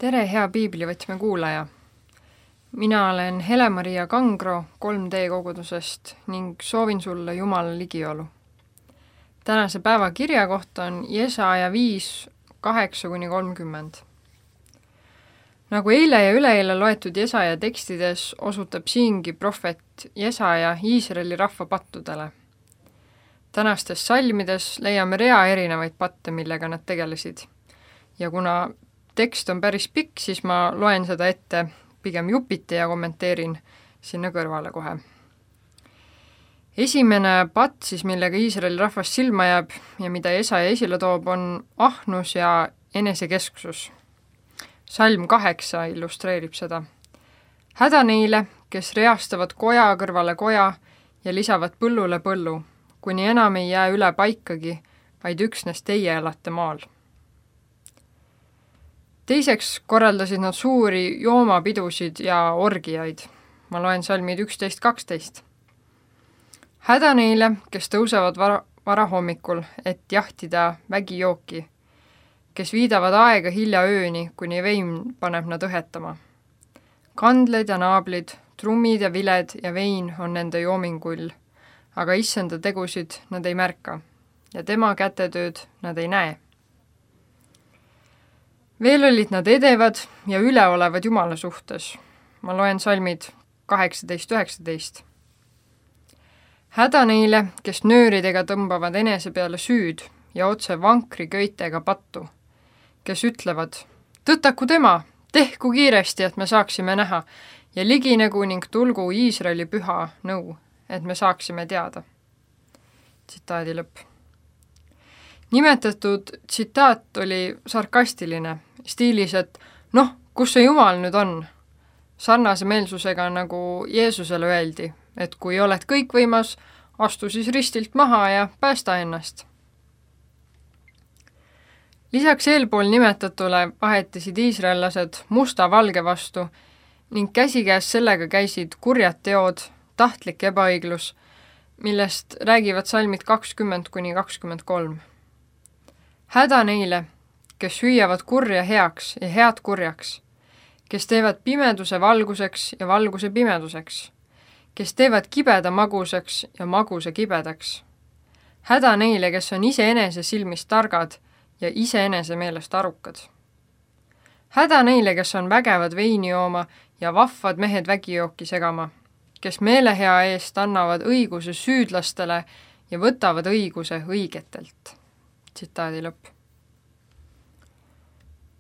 Tere, hea piiblivõtme kuulaja! Mina olen Hele-Maria Kangro 3D kogudusest ning soovin sulle Jumala ligiolu. Tänase päeva kirjakoht on Jesaja 5, 8-30. Nagu eile ja üleeile loetud Jesaja tekstides osutab siingi prohvet Jesaja Iisraeli rahva pattudele. Tänastes salmides leiame rea erinevaid patte, millega nad tegelesid. Ja kuna tekst on päris pikk, siis ma loen seda ette pigem jupiti ja kommenteerin sinna kõrvale kohe. Esimene patt siis, millega Iisraeli rahvas silma jääb ja mida Jesaja esile toob, on ahnus ja enesekesksus. Salm 8 illustreerib seda. Häda neile, kes reastavad koja kõrvale koja ja lisavad põllule põllu, kuni enam ei jää üle paikagi, vaid üksnes teie elate maal. Teiseks korraldasid nad suuri joomapidusid ja orgiaid. Ma loen salmid 11-12. Häda neile, kes tõusevad varahommikul, et jahtida vägijooki, kes viidavad aega hilja ööni, kuni vein paneb nad õhetama. Kandled ja naablid, trummid ja viled ja vein on nende joomingull, aga issanda tegusid nad ei märka ja tema kätetööd nad ei näe. Veel olid nad edevad ja üleolevad Jumala suhtes. Ma loen salmid 18-19. Häda neile, kes nööridega tõmbavad enese peale süüd ja otse vankri köitega pattu, kes ütlevad, tõtaku tema, tehku kiiresti, et me saaksime näha, ja liginegu ning tulgu Iisraeli püha nõu, et me saaksime teada. Tsitaadi lõpp. Nimetatud tsitaat oli sarkastiline, stiilis, et kus see Jumal nüüd on? Sarnase meelsusega nagu Jeesusele öeldi, et kui oled kõikvõimas, astu siis ristilt maha ja päästa ennast. Lisaks eelpool nimetatule vahetasid iisraellased musta valge vastu ning käsikäes sellega käisid kurjad teod, tahtlik ebaõiglus, millest räägivad salmid 20-23. Häda neile, kes hüüavad kurja heaks ja head kurjaks, kes teevad pimeduse valguseks ja valguse pimeduseks, kes teevad kibeda maguseks ja maguse kibedaks. Häda neile, kes on iseenese silmist targad ja iseenese meelest arukad. Häda neile, kes on vägevad veini jooma ja vahvad mehed vägijooki segama, kes meelehea eest annavad õiguse süüdlastele ja võtavad õiguse õigetelt. Tsitaadi lõpp.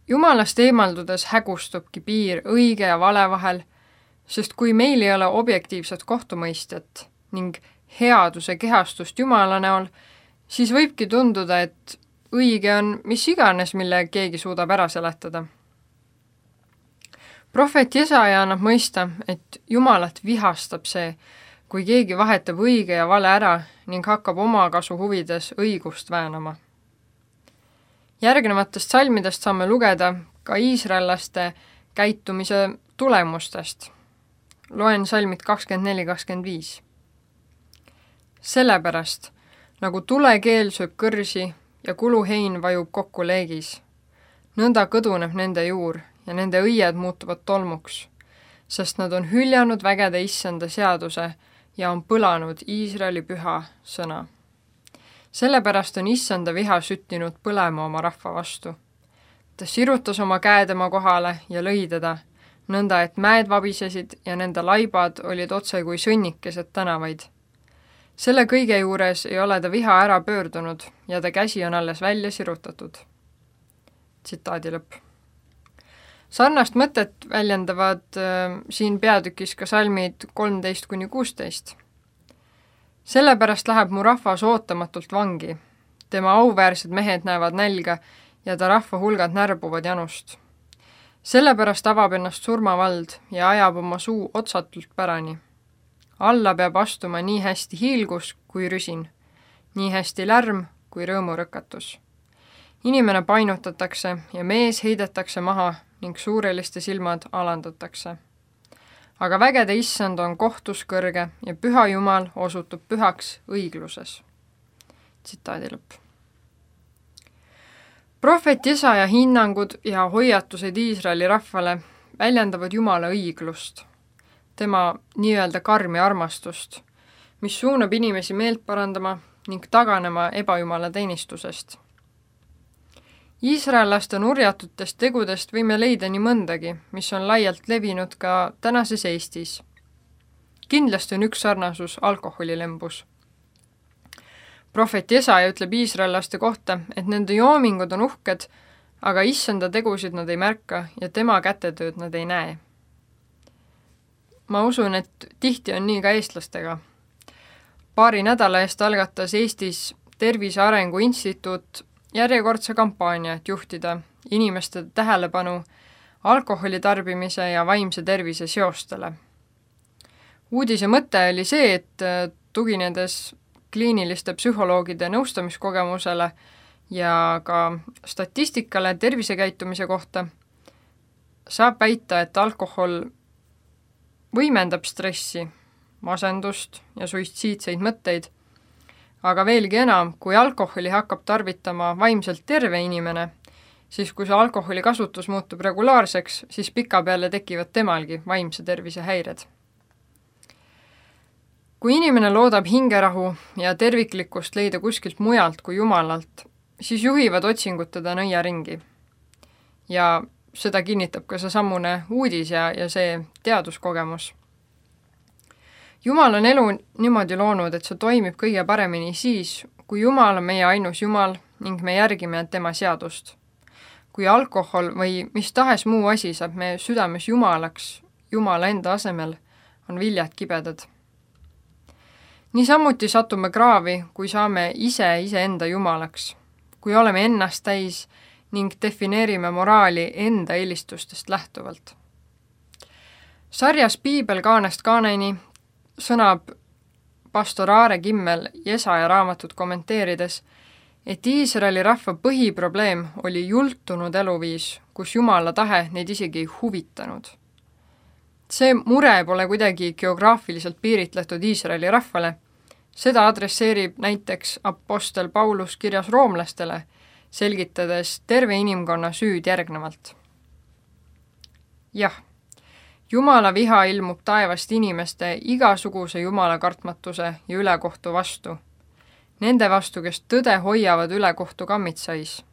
Jumalast eemaldudes hägustubki piir õige ja vale vahel, sest kui meil ei ole objektiivset kohtumõistjat ning headuse kehastust Jumala näol, siis võibki tunduda, et õige on mis iganes, mille keegi suudab ära seletada. Prohvet Jesaja annab mõista, et Jumalat vihastab see, kui keegi vahetab õige ja vale ära ning hakkab oma kasu huvides õigust väänama. Järgnevatest salmidest saame lugeda ka iisraellaste käitumise tulemustest. Loen salmid 24-25. Sellepärast, nagu tulekeel sööb kõrsi ja kuluhein vajub kokku leegis, nõnda kõduneb nende juur ja nende õied muutuvad tolmuks, sest nad on hüljanud vägede issanda seaduse ja on põlanud Iisraeli püha sõna. Sellepärast on issanda viha süttinud põlema oma rahva vastu. Ta sirutas oma käe tema kohale ja lõi teda, nõnda et mäed vabisesid ja nende laibad olid otse kui sõnnikesed tänavaid. Selle kõige juures ei ole ta viha ära pöördunud ja ta käsi on alles välja sirutatud. Tsitaadi lõpp. Sarnast mõtet väljendavad siin peatükis ka salmid 13-16. Sellepärast läheb mu rahvas ootamatult vangi. Tema auväärsed mehed näevad nälga ja ta rahva hulgad närbuvad janust. Sellepärast avab ennast surmavald ja ajab oma suu otsatult pärani. Alla peab astuma nii hästi hiilgus kui rüsin, nii hästi lärm kui rõõmurõkatus. Inimene painutatakse ja mees heidetakse maha ning suureliste silmad alandatakse. Aga vägede issand on kohtus kõrge ja püha Jumal osutub pühaks õigluses. Tsitaadi lõpp. Prohvet Jesaja hinnangud ja hoiatused Iisraeli rahvale väljendavad Jumala õiglust, tema nii-öelda karmi armastust, mis suunab inimesi meelt parandama ning taganema ebajumala teenistusest. Iisraellaste nurjatutest tegudest võime leida nii mõndagi, mis on laialt levinud ka tänases Eestis. Kindlasti on üks sarnasus alkoholilembus. Prohvet Jesaja ütleb iisraellaste kohta, et nende joomingud on uhked, aga issanda tegusid nad ei märka ja tema kätetööd nad ei näe. Ma usun, et tihti on nii ka eestlastega. Paari nädala eest algatas Eestis Tervise Arengu Instituut järjekordse kampaania, et juhtida inimeste tähelepanu alkoholi tarbimise ja vaimse tervise seostele. Uudise mõte oli see, et tuginedes kliiniliste psühholoogide nõustamiskogemusele ja ka statistikale tervisekäitumise kohta, saab väita, et alkohol võimendab stressi, masendust ja suitsiidseid mõtteid, aga veelgi enam, kui alkoholi hakkab tarvitama vaimselt terve inimene, siis kui see alkoholi kasutus muutub regulaarseks, siis pikapeale tekivad temalgi vaimse tervise häired. Kui inimene loodab hingerahu ja terviklikkust leida kuskilt mujalt kui Jumalalt, siis juhivad otsingud teda nõiaringi. Ja seda kinnitab ka seesamune uudis ja see teaduskogemus. Jumal on elu niimoodi loonud, et see toimib kõige paremini siis, kui Jumal on meie ainus Jumal ning me järgime tema seadust. Kui alkohol või mis tahes muu asi saab meie südames Jumalaks, Jumala enda asemel, on viljad kibedad. Niisamuti satume kraavi, kui saame iseenda Jumalaks, kui oleme ennast täis ning defineerime moraali enda eelistustest lähtuvalt. Sarjas Piibel kaanest kaaneni sõnab pastor Aare Kimmel Jesaja raamatut kommenteerides, et Iisraeli rahva põhiprobleem oli jultunud eluviis, kus Jumala tahe neid isegi ei huvitanud. See mure pole kuidagi geograafiliselt piiritletud Iisraeli rahvale, seda adresseerib näiteks apostel Paulus kirjas roomlastele, selgitades terve inimkonna süüd järgnevalt. Jah, Jumala viha ilmub taevast inimeste igasuguse Jumala kartmatuse ja ülekohtu vastu, nende vastu, kes tõde hoiavad ülekohtu kammitsais.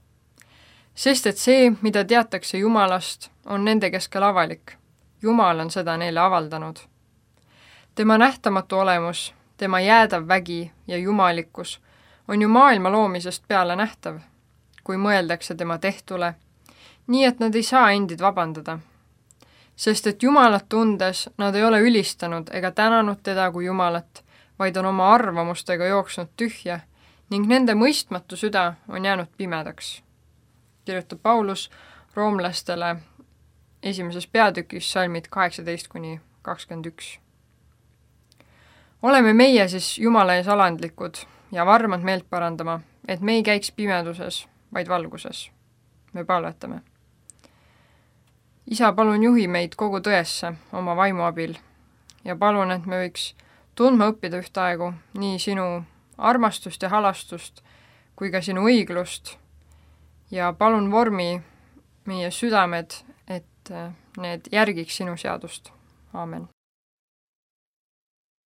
Sest et see, mida teatakse Jumalast, on nende keskel avalik. Jumal on seda neile avaldanud. Tema nähtamatu olemus, tema jäädav vägi ja jumalikkus on ju maailma loomisest peale nähtav, kui mõeldakse tema tehtule, nii et nad ei saa endid vabandada. Sest et Jumalat tundes nad ei ole ülistanud ega tänanud teda kui Jumalat, vaid on oma arvamustega jooksnud tühja ning nende mõistmatu süda on jäänud pimedaks. Kirjutab Paulus roomlastele 1. peatükis salmid 18-21. Oleme meie siis Jumala ees alandlikud ja varmad meelt parandama, et me ei käiks pimeduses, vaid valguses. Me palvetame. Isa, palun juhi meid kogu tõesse oma vaimu abil ja palun, et me võiks tundma õppida ühtaegu nii sinu armastust ja halastust kui ka sinu õiglust ja palun vormi meie südamed, et need järgiks sinu seadust. Aamen.